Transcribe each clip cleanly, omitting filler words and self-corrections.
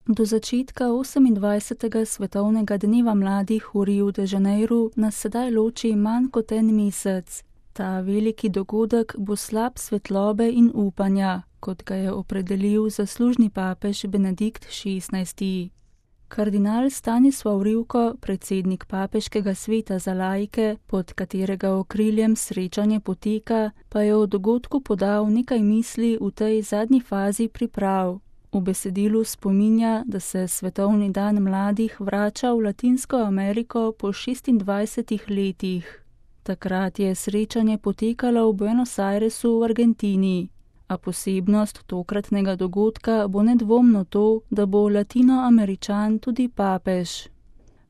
Do začetka 28. svetovnega dneva mladih v Riu de Janeiru nas sedaj loči manj kot en mesec. Ta veliki dogodek bo slab svetlobe in upanja, kot ga je opredelil zaslužni papež Benedikt XVI. Kardinal Stanislav Rivko, predsednik papeškega sveta za laike, pod katerega okriljem srečanje poteka, pa je o dogodku podal nekaj misli v tej zadnji fazi priprav. V besedilu spominja, da se Svetovni dan mladih vrača v Latinsko Ameriko po 26 letih. Takrat je srečanje potekalo v Buenos Airesu v Argentini, a posebnost tokratnega dogodka bo nedvomno to, da bo Latinoameričan tudi papež.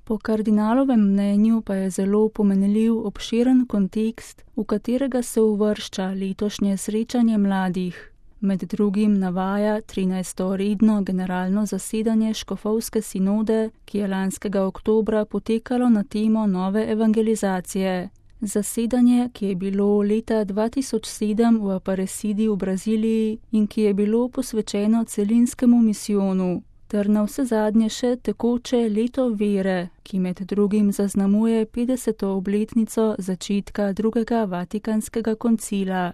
Po kardinalovem mnenju pa je zelo pomenljiv obširen kontekst, v katerega se uvršča letošnje srečanje mladih. Med drugim navaja 13. redno generalno zasedanje škofovske sinode, ki je lanskega oktobra potekalo na temo nove evangelizacije. Zasedanje, ki je bilo leta 2007 v Aparecidi v Braziliji in ki je bilo posvečeno celinskemu misijonu, ter na vse zadnje še tekoče leto vere, ki med drugim zaznamuje 50. obletnico začetka drugega Vatikanskega koncila.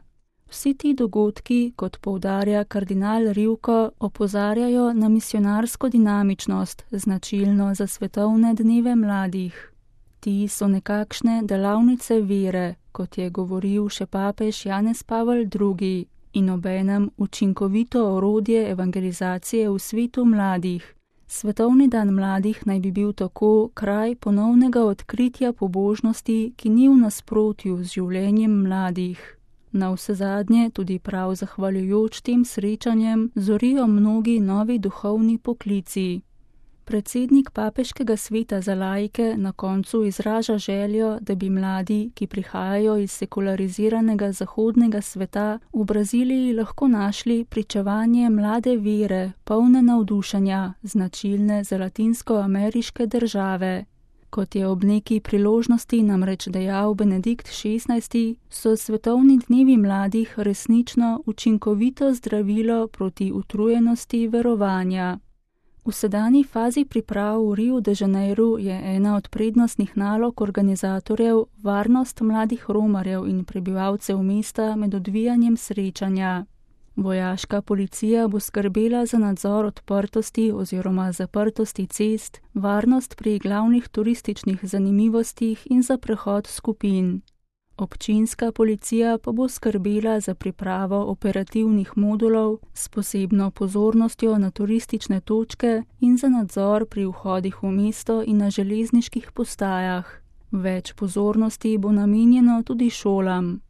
Vsi ti dogodki, kot poudarja kardinal Rivko, opozarjajo na misionarsko dinamičnost, značilno za svetovne dneve mladih. Ti so nekakšne delavnice vere, kot je govoril še papež Janez Pavel II, in obenem učinkovito orodje evangelizacije v svetu mladih. Svetovni dan mladih naj bi bil tako kraj ponovnega odkritja pobožnosti, ki ni v nasprotju z življenjem mladih. Na vse zadnje, tudi prav zahvaljujoč tem srečanjem, zorijo mnogi novi duhovni poklici. Predsednik papeškega sveta za laike na koncu izraža željo, da bi mladi, ki prihajajo iz sekulariziranega zahodnega sveta, v Braziliji lahko našli pričevanje mlade vere, polne navdušenja, značilne za latinskoameriške države. Kot je ob neki priložnosti namreč dejal Benedikt XVI, so svetovni dnevi mladih resnično učinkovito zdravilo proti utrujenosti verovanja. V sedanji fazi priprav v Riu de Janeiru je ena od prednostnih nalog organizatorjev varnost mladih romarjev in prebivalcev mesta med odvijanjem srečanja. Vojaška policija bo skrbela za nadzor odprtosti oziroma zaprtosti cest, varnost pri glavnih turističnih zanimivostih in za prehod skupin. Občinska policija pa bo skrbela za pripravo operativnih modulov s posebno pozornostjo na turistične točke in za nadzor pri vhodih v mesto in na železniških postajah. Več pozornosti bo namenjeno tudi šolam.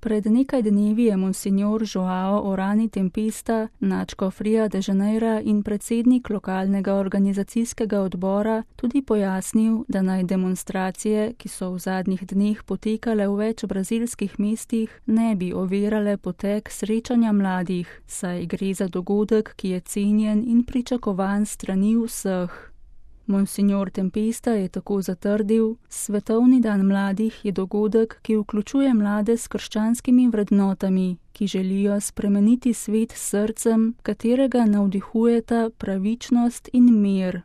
Pred nekaj dnevi je monsignor Joao Orani Tempesta, nadškof Ria de Janeira in predsednik lokalnega organizacijskega odbora, tudi pojasnil, da naj demonstracije, ki so v zadnjih dneh potekale v več brazilskih mestih, ne bi ovirale potek srečanja mladih, saj gre za dogodek, ki je cenjen in pričakovan strani vseh. Monsignor Tempesta je tako zatrdil, Svetovni dan mladih je dogodek, ki vključuje mlade s krščanskimi vrednotami, ki želijo spremeniti svet s srcem, katerega navdihujeta pravičnost in mir.